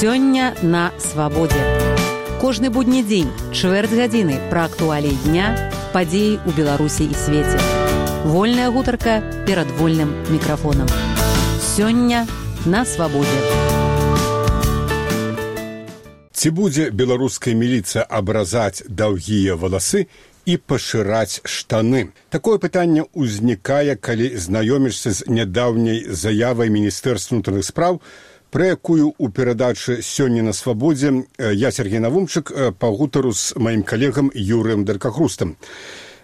Сёння на свабодзе. Кожны будні дзень, чвэрць гадзіны пра актуаліі дня, падзеі ў Беларусі і свеце. Вольная гутарка перад вольным мікрафонам. Сёння на свабодзе. Ці будзе беларуская міліцыя абразаць даўгія валасы і пашыраць штаны? Такое пытанне ўзнікае, калі знаёмішся з нядаўняй заявай Міністэрства ўнутраных спраў, пра якую ў перадачы «Сёння на свабодзе» я, Сергей Навумчык, пагутару з маім калегам Юрыем Даркахрустам.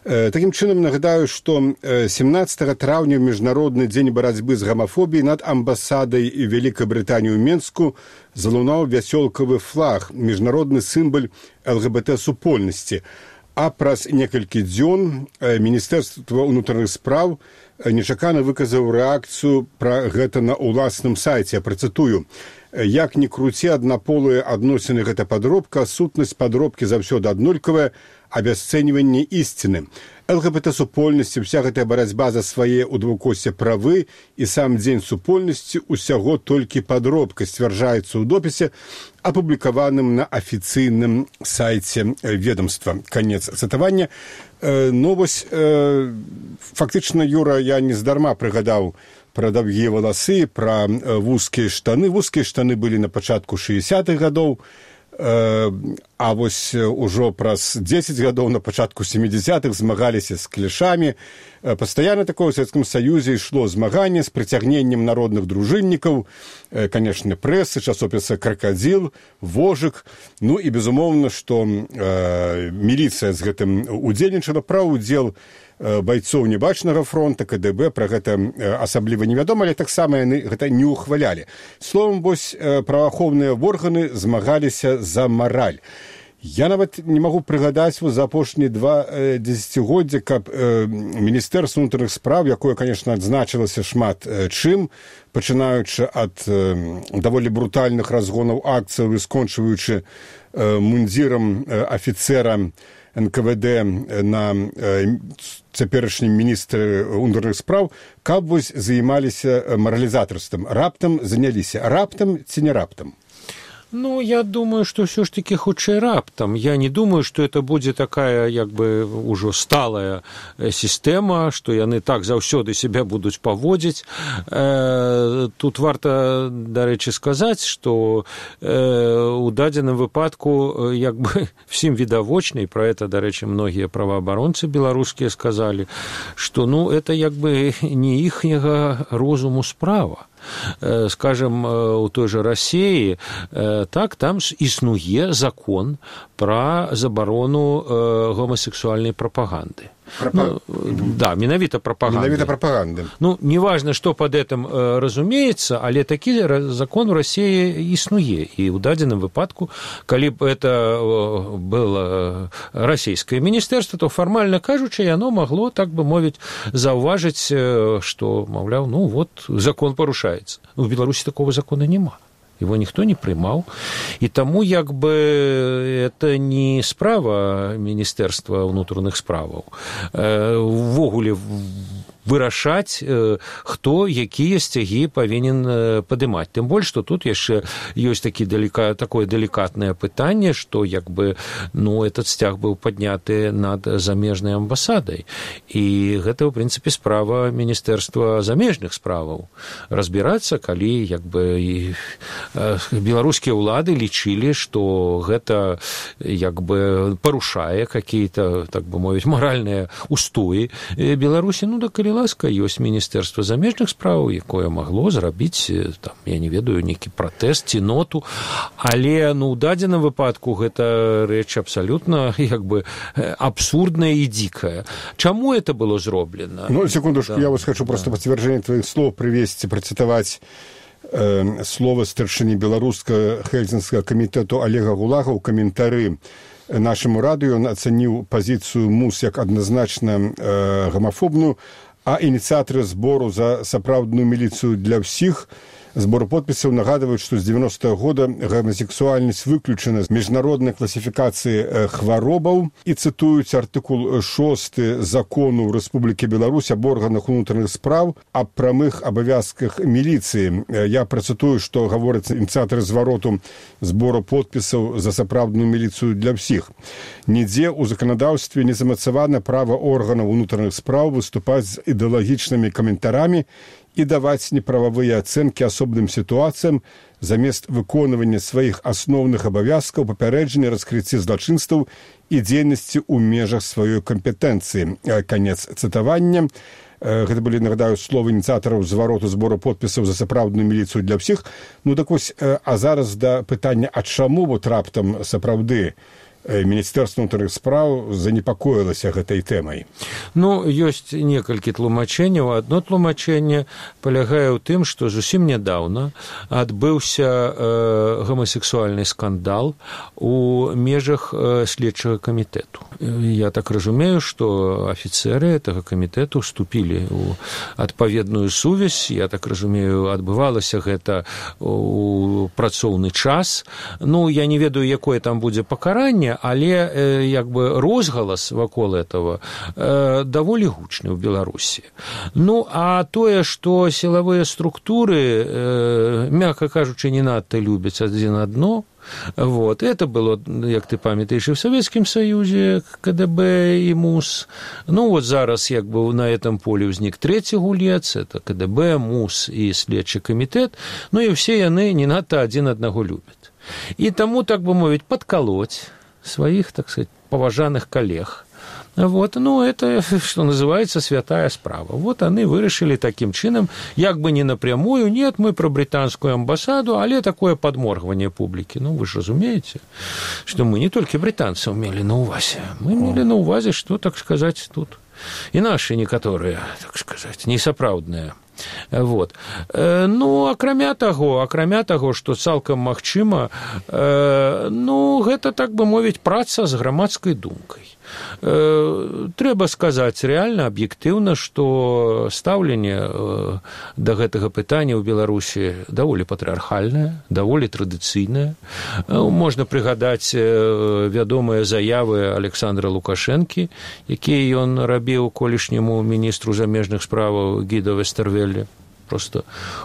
Такім чынам нагадаю, што 17 траўня ў Міжнародны дзень барацьбы з гамафобіяй над амбасадай Вялікай Брытаніі ў Менску залунаў вясёлкавы флаг, міжнародны сімвал ЛГБТ-супольнасці. А праз некалькі дзён Міністэрства ўнутраных спраў нечакана выказаў рэакцыю пра гэта на ўласным сайце. Я працытую: «Як ні круці, аднаполыя адносіны гэта падробка, сутнасць падробкі заўсёды аднолькавая, абясцэньванне ісціны. ЛГБТ-супольнасці, уся гэтая барацьба за свае ў двукосе правы і сам дзень супольнасці усяго толькі падробка», сцвярджаецца ў допісе, апублікаваным на афіцыйным сайце ведомства. Канец цытавання. Ну, вось, фактычна, Юра, я нездарма прыгадаў пра даўгія валасы, пра вузкія штаны. Вузкія штаны былі на пачатку 60-х гадоў, а вось ужо праз 10 гадоў на пачатку 70-х змагаліся з клішамі. Пастаянна такое ў Савецкім Саюзе ішло змаганне з прыцягненнем народных дружыннікаў, канешне, прэсы, часопіса «Кракадзіл», «Вожык». Ну і, безумоўна, што міліцыя з гэтым удзельнічала. Пра ўдзел байцоў небачнага фронта, КДБ, пра гэта асабліва невядома, але таксама яны гэта не ўхвалялі. Словам, вось, праваахоўныя органы змагаліся за мараль. Я нават не магу прыгадаць за апошнія 2 дзесяцігоддзя, каб Міністэрства ўнутраных спраў, якое, канешне, адзначылася шмат чым, пачынаючы ад даволі брутальных разгонаў акцыяў і скончваючы мундзірам афіцэра НКВД на цяперашнім міністры ўнутраных спраў, каб вось займаліся маралізатарствам. Раптам заняліся. Раптам ці не раптам? Ну, я думаю, что все ж таки хутчэй раптам. Я не думаю, что это будзе такая, як бы, ужо сталая сістэма, што яны так заўсёды себя будуць паводзіць. Тут варта, дарэчы, сказаць, што у дадзеным выпадку, як бы, всім відавочна, і пра это, дарэчы, многія праваабаронцы беларускія сказалі, што, ну, это, як бы, не іхняга розуму справа. Скажем, у той же России, так, там існуе закон про забарону гомосексуальной пропаганды. Ну, да, менавіта прапаганды. Менавіта прапаганды. Ну, неважно, что под этим разумеется, але такі закон у России існуе. І ў дадзеным выпадку, калі б это было расійскае міністэрства, то фармальна кажучы, яно магло, так бы мовіць, заўважыць, што, маўляў, ну вот, закон парушаецца. У Беларусі такого закона няма. Его никто не приймав. І тому, якби, это не справа Міністерства внутрішніх справ. Ввогуле вырашаць, хто якія сцягі павінен падымаць. Тым больш, што тут яшчэ ёсць такое делікатнае пытанне, што, як бы, ну, этот сцяг быў падняты над замежнай амбасадай. І гэта, ў прынцыпе, справа Міністэрства замежных справаў. Разбірацца, калі, як бы, беларускія ўлады лічылі, што гэта, як бы, парушае какие-то, так бы мовіць, маральныя устоі Беларусі. Ну, да, калі ласка, ёсць Міністэрства замежных справаў, якое магло зрабіць, там, я не ведаю, нейкі пратэст ці ноту, але, ну, у дадзеным выпадку гэта рэч абсалютна, як бы, абсурдная і дзікая. Чаму это было зроблена? Ну, секундочку, да. Я вас хочу просто подтверждение твоих слов привести, процитовать слова старшыні беларускага Хельсінскага камітэту Олега Гулага ў каментары нашаму радыё. Он ацаніў пазіцыю МУС як адназначна гамафобную, а ініцыятары збору за сапраўдную міліцыю для ўсіх збору подпісаў нагадваюць, што з 90-го года гомасексуальнасць выключана з міжнароднай класіфікацыі хваробаў і цытуюць артыкул 6 закону Рэспублікі Беларусь аб органах унутраных спраў аб прамых абавязках міліцыі. Я працытую, што гавораць ініцыятары звароту збору подпісаў за сапраўдную міліцыю для ўсіх. Нідзе ў заканадаўстве не замацавана права органаў унутраных спраў выступаць з ідэалагічнымі каментарамі і даваць неправавыя ацэнкі асобным сітуацыям замест выконвання сваіх асноўных абавязкаў, папярэджання, раскрыцці злачынстваў і дзейнасці ў межах сваёй кампетэнцыі. Канец цытавання. Гэта былі, нагадаю, словы ініцыятараў звароту збору подпісаў за сапраўдную міліцыю для ўсіх. Ну так вось, а зараз да пытання, а чаму вот раптам сапраўды Міністэрства ўнутраных спраў занепакоілася гэтай тэмай? Ну, ёсць некалькі тлумачэнняў. Адно тлумачэнне палягае ў тым, што зусім нядаўна адбыўся гомасексуальны скандал у межах следчага камітэту. Я так разумею, што афіцэры гэтага камітэту вступілі ў адпаведную сувязь. Я так разумею, адбывалася гэта ў працоўны час. Ну, я не ведаю, якое там будзе пакаранне, але як бы розгалас вакол этого даволі гучны ў Беларусі. Ну, а тое, што сілавыя структуры, мякка кажучы, не надта любяць адзін адно, вот, это было, як ты памятаеш, і в Советском Союзе КДБ і МУС. Ну, вот зараз як бы на этом поле ўзнік трэці гулец, это КДБ, МУС і следчы камітэт, ну і ўсе яны не надта адзін аднаго любяць. І таму, так бы мовіць, падкалоць своих, так сказать, поважанных коллег. Вот, ну, это, что называется, святая справа. Вот они вырашили таким чином, як бы не напрямую, нет, мы про британскую амбассаду, але такое подморгивание публики. Ну, вы же разумеете, что мы не только британцев имели на увазе, мы имели на увазе, что, так сказать, тут и наши некоторые, так сказать, несапраўдныя. Вот. Ну, акрамя таго, што цалкам магчыма, ну, гэта, так бы мовіць, праца з грамадскай думкай. Трэба сказаць рэальна, аб'ектыўна, што стаўленне да гэтага пытання ў Беларусі даволі патрыархальнае, даволі традыцыйнае. Можна прыгадаць вядомыя заявы Александра Лукашэнкі, якія ён рабіў колішняму міністру замежных справаў Гідо Вестэрвелле. Просто,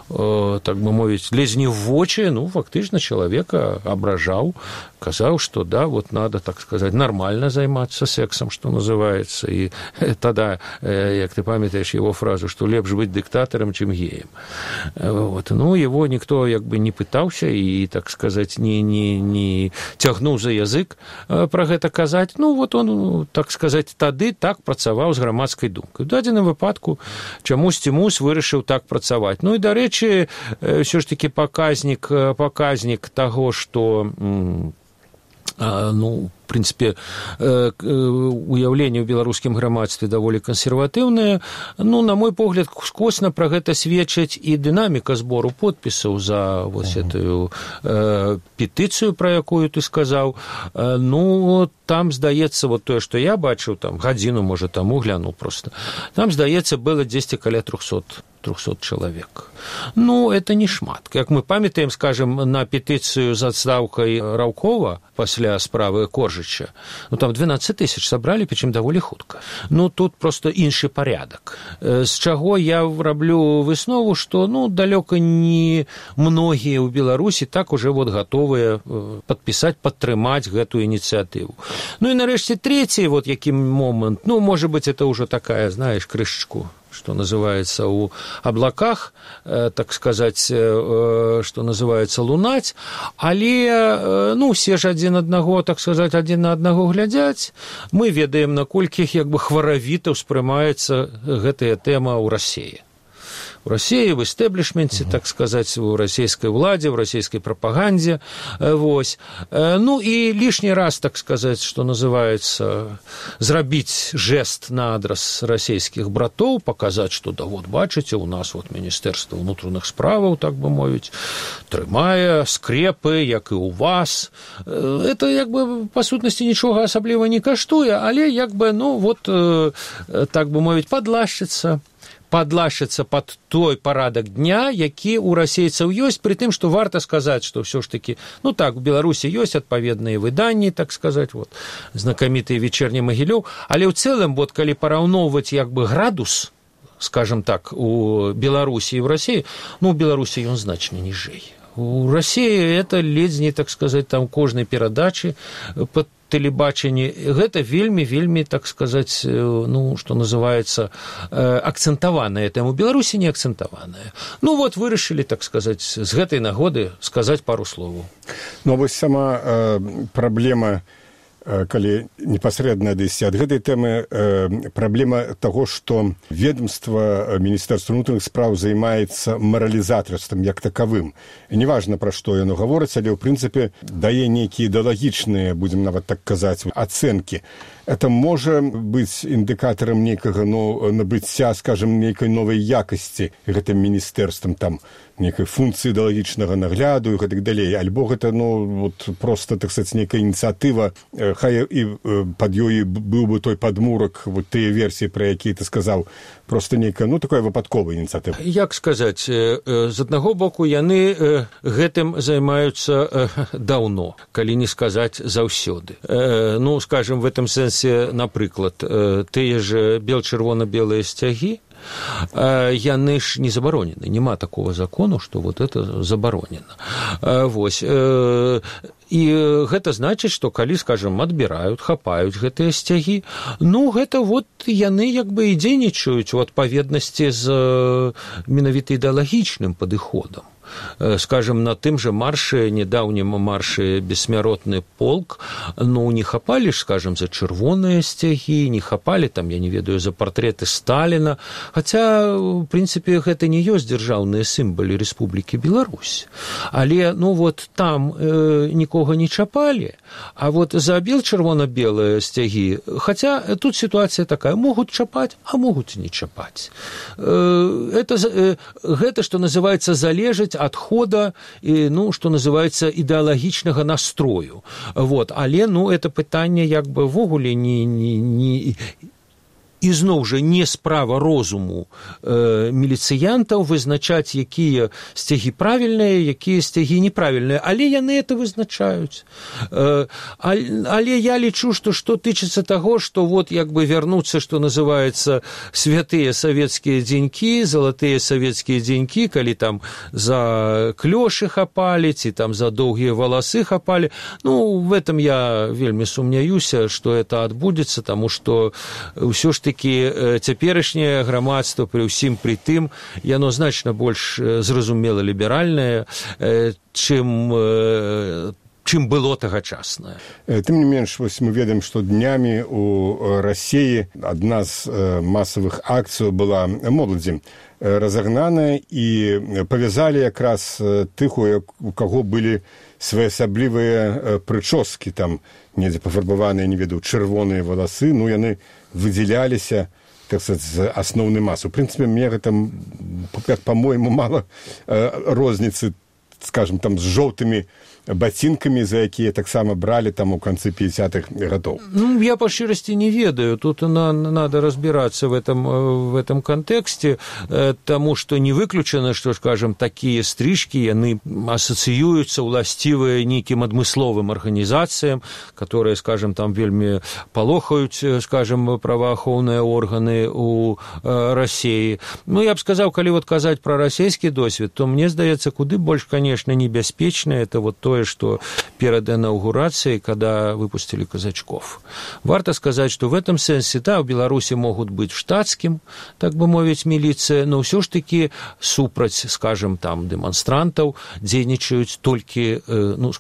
так бы мовіць, лезь не в вочы, ну, фактычна чалавека абражаў, казаў, што да, вот надо, так сказать, нормально займацца сексом, что называется, и тогда, як ты памятаешь его фразу, что лепш быть диктатором, чем геем. Вот. Ну, его никто, як бы, не пытаўся и, так сказать, не цягнуў за язык про гэта казаць. Ну, вот он, так сказать, тады так працаваў з грамадскай думкай. У дадзеным выпадку чамусьці МУС вырашыў так працаваць. Ну и, дарэчы, все ж таки показник того, что, ну, в принципе, уяўленне ў беларускім грамадстве даволі кансерватыўнае. Ну, на мой погляд, скосна пра гэта сведчыць і дынаміка збору подпісаў за вот эту петыцыю, пра якую ты сказаў. Ну, там, здаецца, вот тое, што я бачыў, там, гадзіну, можа, таму глянуў просто, там, здаецца, было 10 каля 300 чалавек. Ну, это не шмат. Як мы памятаем, скажем, на петыцыю з адстаўкай Раўкова пасля справы Коржыча, ну, там 12 тысяч сабралі, причым даволі хутка. Ну, тут просто іншы парядак. З чаго я раблю выснову, што, ну, далёка не многія ў Беларусі так уже вот гатовыя падпісаць, падтрымаць гэтую ініцыятыву. Ну, і нарэшце трэці, вот які момант, ну, может быть, это уже такая, знаешь, крышечку, что называется, у облаках, так сказать, что называется, лунать, але, ну, все ж адзін аднаго, так сказать, адзін на аднаго глядзяць. Мы ведаем, наколькі, як бы, хваравіта ўспрымаецца гэтая тэма ў Расіі. В России, в истеблишменте, так сказать, в российской владе, в российской пропаганде. Вот. Ну и лишний раз, так сказать, что называется, зрабіць жест на адрес российских братов, показать, что да вот, бачите, у нас вот Министерство внутренних справаў, так бы мовить, трымае скрепы, як и у вас. Это, як бы, по сутнасці, нічога асабліва не каштуе, але, як бы, ну, вот, так бы мовить, подлашчыцца, падлашыцца пад той парадак дня, які ў расейцаў ёсць, пры тым, што варта сказаць, што ўсё ж такі, ну так, у Беларусі ёсць адпаведныя выданні, так сказаць, вот, знакамітыя «Вечерні Магілёў», але ў цэлым, вот, калі параўноўваць як бы градус, скажем так, у Беларусі і ў Расіі, ну, у Беларусі ён значна ніжэй. У Расіі это ледзь, так сказаць, там кожнай перадачы па тэлебачанні, гэта вельмі, так сказаць, ну, што называецца, акцэнтаваная тэма. У Беларусі не акцэнтаваная. Ну, вот, вырашылі, так сказаць, з гэтай нагоды сказаць пару словаў. Ну, вось сама праблема, калі непасрэдна дайсці ад гэтай тэмы, праблема таго, што ведомства Міністэрства ўнутраных спраў займаецца маралізатарствам як такавым. Неважна, пра што яно гаворыць, але ў прынцыпе дае нейкія ідэалагічныя, будзем нават так казаць, ацэнкі. Это можа быць індыкатарам нейкага, ну, набыцця, скажем, нейкай новай якасці гэтым міністэрствам, там, нейкай функцыі ідэалагічнага нагляду і гэтак далей. Альбо гэта, ну, вот, просто, так сказаць, нейкая ініцыятыва, хай і пад ёй быў бы той падмурак, вот тыя версіі, пра якія ты сказаў, просто нейкая, ну, такая выпадковая ініцыятыва. Як сказаць, з аднаго боку, яны гэтым займаюцца даўно, калі не сказаць заўсёды. Ну, скажем, в этом сэнсе, напрыклад, тыя ж бел-чырвона-белыя сцягі, яны ж не забаронены. Нема такого закону, што вот это забаронена. Вось. І гэта значыць, што калі, скажем, адбіраюць, хапаюць гэтыя сцягі, ну, гэта вот яны як бы і дзейнічаюць у адпаведнасці з менавіта ідэалагічным падыходам. Скажем, на тым же марше, недавнем марше «Бессмяротны полк», ну, не хапали, скажем, за чырвоныя сцягі, не хапали, там, я не ведаю, за партреты Сталіна, хотя, в принципе, гэта не ёсць дзяржаўныя сімвалы Рэспублікі Беларусь. Але, ну, вот там нікога не чапали, а вот за бел-чырвона-белыя сцягі, хотя тут ситуация такая, могут чапать, а могут не чапать. Гэта, что называется, залежыць ад хода, ну, што называецца, ідэалагічнага настрою. Вот. Але, ну, это пытанне як бы ввогуле не і зноў жа не справа розуму міліцыянтаў вызначаць, якія сцягі правільныя, якія сцягі неправільныя, але яны это вызначаюць. Але я лічу, што тычыцца таго, што вот як бы вярнуцца, што называецца, святыя савецкія дзенькі, залатыя савецкія дзенькі, калі там за клёшы хапалі, ці там за доўгія валасы хапалі. Ну, в этом я вельмі сумняюся, што это адбудзецца, таму што ўсё ж такі цяперашняе грамадства пры ўсім пры тым, яно значна больш зразумела ліберальнае, чым было тагачаснае. Тым не менш, вось мы ведаем, што днямі у Расіі адна з масавых акцый была моладзі разагнаная, і павязалі якраз тых, у каго былі своеасаблівыя прычоскі, там недзе пафарбаваныя, не ведаю, чырвоныя валасы, ну, яны выдзяляліся, так сказать, з асноўнай масы. У прынцыпе, мне гэта, по-моему, мала розніцы, скажем, там, з жоўтымі ботинками, за якія таксама брали там у конце 50-х годов. Ну, я по шчырасці не ведаю. Тут надо разбираться в этом контексте, тому что не выключено, что, скажем, такие стрижки, яны ассоциируются уластивыя нейким адмысловым организациям, которые, скажем, там вельмі палохаюць, скажем, праваахоўныя органы у России. Ну, я б сказал, калі вот казаць про расійскі досвед, то мне здаецца, куды больш, конечно, небяспечна это вот то, что перед инаугурацией, когда выпустили казачков. Варто сказать, что в этом сенсе, да, в Беларуси могут быть штатским, так бы мовить, милиция, но все ж таки супраць, скажем, там, демонстрантов дзейнічаюць толькі, ну,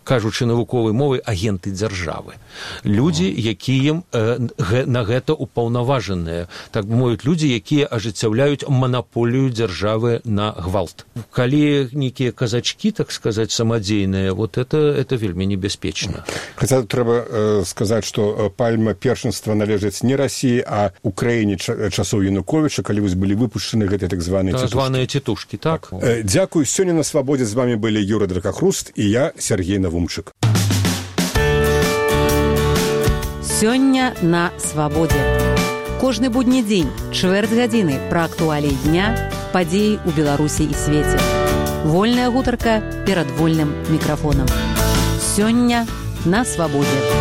кажучы навуковай мовай, агенты дзяржавы. Людзі, якія на гэта упаўнаважаныя, так бы мовіць, людзі, якія ажыццяўляюць манаполію дзяржавы на гвалт. Калі нейкія казачкі, так сказаць, самадзейныя, вот это вельмі небяспечна. Хаця трэба сказаць, што пальма першынства належыць не Расіі, а Украіне часоў Януковіча, калі вось былі выпушчаны гэтыя так званыя цітушкі. Так. Дзякуй. Сёння на Свабодзе з вами былі Юра Дракахруст і я, Сергей Навумчык. Сёння на Свабодзе. Кожны будні дзень, чвэрць гадзіны пра актуаліі дня, падзеі ў Беларусі і свеце. Вольная гутарка перад вольным мікрафонам. Сёння на свабодзе.